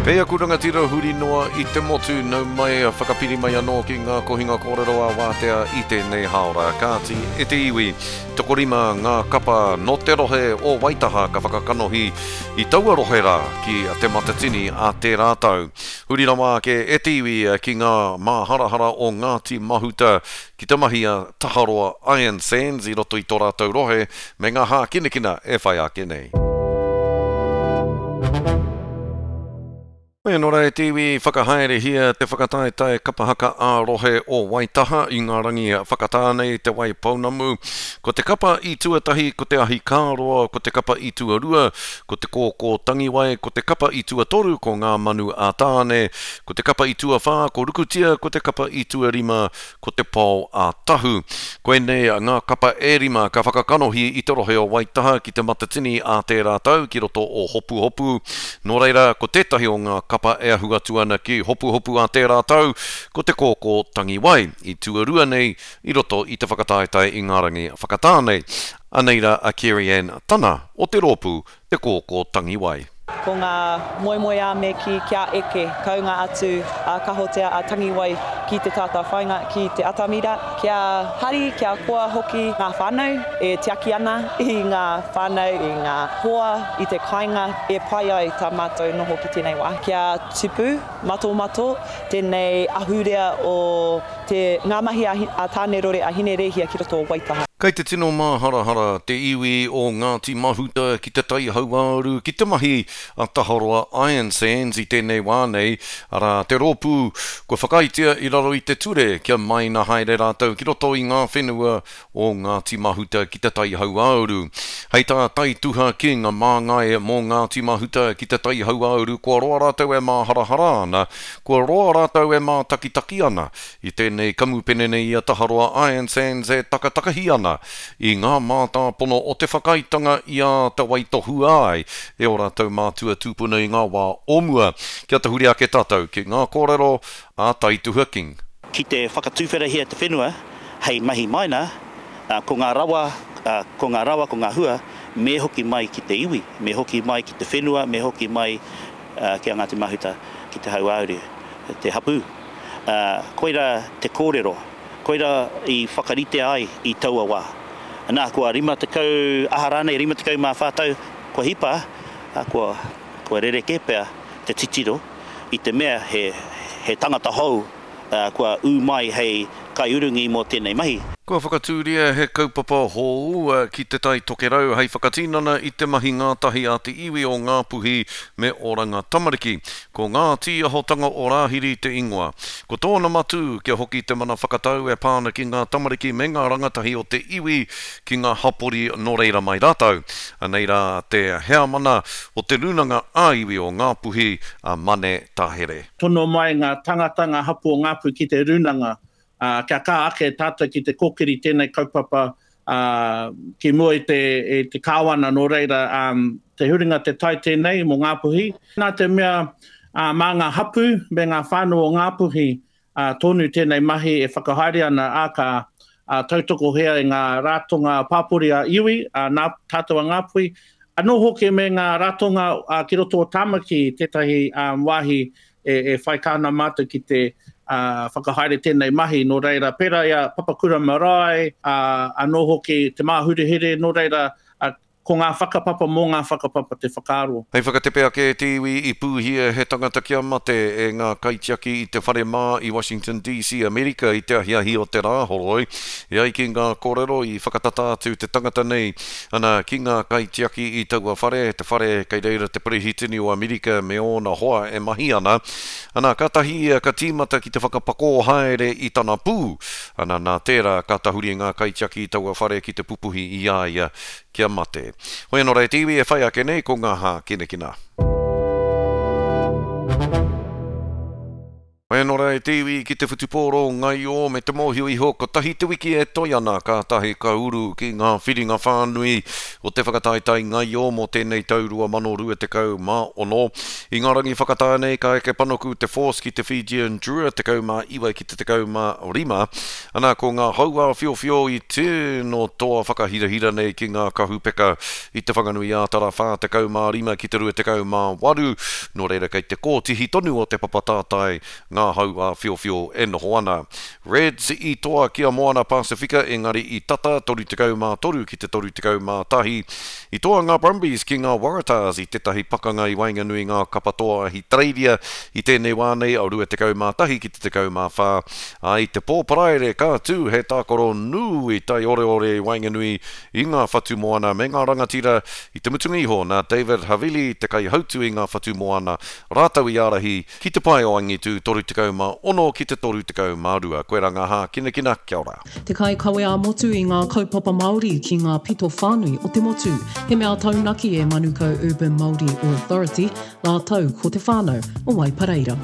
Kei aku rangatira huri noa i te motu, nau mai, whakapiri mai anō ki ngā kohinga kōrero a Wātea i tēnei hāora. Kāti e te iwi, tokorima ngā kapa nō te rohe o Waitaha ka whakakanohi i taua rohe rā ki Te Matatini a tērā tau. Huri rawa ake e te iwi ki ngā māharahara o Ngāti Mahuta ki te mahi a Taharoa Iron Sands i roto i tō rātou rohe me ngā hākinakina e whai ake nei. Nō reira e te iwi, whakahaerehia te whakataetae kapa haka ā-rohe o Waitaha i ngā rangi whakatā nei Te Wai Pounamu. Ko te kapa i tuatahi ko Te Ahi Kāroa, ko te kapa i tuarua ko Te Kōkō Tangiwai, ko te kapa i tuatoru ko Ngā Manu a Tāne, ko te kapa i tuawhā ko Rukutia, ko te kapa i tuarima ko Te Pao a Tahu. Koinei ngā kapa e rima ka whakakanohi i te rohe o Waitaha ki Te Matatini ā tērā tau ki roto o Hopuhopu. Nō reira, ko tētahi o ngā kapa e ahu atu ana ki Hopuhopu ā tērā tau, ko Te Kōkō Tangiwai, i tuarua nei i roto i te whakataetae i ngā rangi whakatā nei. Anei rā a Kerry-Ann Tana o te rōpū Te Kōkō Tangiwai. Ko ngā moemoeā me kī kia eke kounga atu a Kahotea a Tangiwai ki te tātāwhainga, ki te atamira, kia hari, kia koa hoki ngā whānau e tiaki ana i ngā whānau, i ngā hoa, i te kāinga e pai ai tā mātou noho ki tēnei wā. Kia tupu matomato tēnei ahurea o Te, ngā mahi a, a Tānerore, a Hinerēhia ki roto o Waitaha. Kei te tino māharahara te iwi o Ngāti Mahuta ki Te Tai Hauāuru ki te mahi a Taharoa Iron Sands i tēnei wā nei, arā, te rōpū kua whakaaetia i raro i te ture kia maina haere rātou ki roto i ngā whenua o Ngāti Mahuta ki Te Tai Hauāuru. Hei tā Taituha King, māngai mō Ngāti Mahuta ki Te Tai Hauāuru kua roa rātou e māharahara ana Kua roa rātou e mātakitaki ana i tēnei kamupene nei i a Taharoa Iron Sands e takatakahi ana i ngā mātāpono o te whakaaetanga i āta waitohua ai e ō rātou mātua tūpuna i ngā wā o mua. Kia tahuri ake tātou ki ngā kōrero a Taituha King. Ki te whakatuwherahia te whenua hei mahi maina, ko ngā rawa, ko ngā rawa, ko ngā hua, me hoki mai ki te iwi, me hoki mai ki te whenua, me hoki mai ki a Ngāti Mahuta, ki Te Hauāuru, te hapū. Koirā te kōrero, koirā i whakaritea ai i taua wā. Nā, kua 50, aha rānei, 54 tau kua hipa, kua, kua rerekē pea te titiro i te mea he, he tangata hou kua ū mai hei kaiurungi mō tēnei mahi. Kua whakatūria he kaupapa hou ki Te Tai Tokerau hei whakatinana i te mahi ngātahi a te iwi o Ngāpuhi me Oranga Tamariki. Ko Ngā Tīahotanga o Rāhiri te ingoa. Ko tōna matū kia hoki te mana whakatau e pā ana ki ngā tamariki me ngā rangatahi o te iwi ki ngā hapori nō reira mai rātou. Anei rā te heamana o te Rūnanga ā-Iwi o Ngāpuhi, a Mane Tahere. Tono mai ngā tangata, ngā hapū o Ngāpuhi ki te rūnanga, ā, kia kaha ake tātou ki te kōkiri tēnei kaupapa, ā, ki mua i te, i te Kāwana, nō reira, ā, te huringa te tai tēnei mō Ngāpuhi. Nā te mea, ā, mā ngā hapū me ngā whānau o Ngāpuhi, ā, tonu tēnei mahi e whakahaere ana, ā, ka, ā, tautokohia e ngā ratonga pāpori ā-iwi, ā, nā tātou a Ngāpuhi, anō hoki me ngā ratonga, ā, ki roto o Tāmaki tētahi, ā, wāhi e, e whai kaha ana mātou ki te, ā, whakahaere tēnei mahi, nō reira, pērā i a Papakura Marae, ā, anō hoki Te Māhurehure, nō reira, ā, Ko ngā whakapapa mō ngā whakapapa te whakaaro. Hei whakatepe ake e te iwi i pūhia he tangata kia mate e ngā kaitiaki i te whare mā i Washington DC, Amerika i te ahiahi o te Rāhoroi. E ai ki ngā kōrero i whakatata atu te tangata nei ana ki ngā kaitiaki i taua whare, te whare kei reira te Perehitini o Amerika me ōna hoa e mahi ana. Ana, kātahi ia ka tīmata ki te whakapakō haere i tana pū. Ana, nā tērā ka tahuri ngā kaitiaki i taua whare ki te pupuhi i a ia kia mate. Hoi anō rā e te iwi e whai ake nei ko ngā hākinakina. Hoi anō rā e te iwi ki te whutupōro ngaio me te mōhio iho kotahi te wiki e toe ana kātahi ka uru ki ngā whiringa whānui o te whakataetae ngaio mō tēnei tau 2026. I ngā rangi whakatā nei ka eke panuku te Force ki te Fijian Drua 19 ki te 15. Ana, ko ngā hauāwhiowhio i tino toa whakahirahira nei ki ngā kahupeka i Te Whanganui-ā-Tara 45 ki te 28, nō reira kei te kōtihi tonu o te papa tātai ngā hauāwhiowhio e noho ana. Reds i toa ki a Moana Pasifika engari i tata 33 ki te 31. I toa ngā Brumbies ki ngā Waratahs i tētahi pakanga i waenganui i ngā kapa toa Ahitereiria i tēnei wā nei, 21 ki te 14. Ā, i te pō Paraire ka tū he tākaro nui taioreore i waenganui i ngā whatumoana me ngā rangatira i te mutunga iho nā David Havili te kaihautu i ngā whatumoana rātou i ārahi Ki te pae o angitu 36 ki te 32. Koira ngā hākinakina, kia ora. Te kaikawe ā-motu i ngā kaupapa Māori ki ngā pito whānui o te motu. He mea taunaki e Manukau Urban Māori Authority rātou ko te whānau o Waipareira.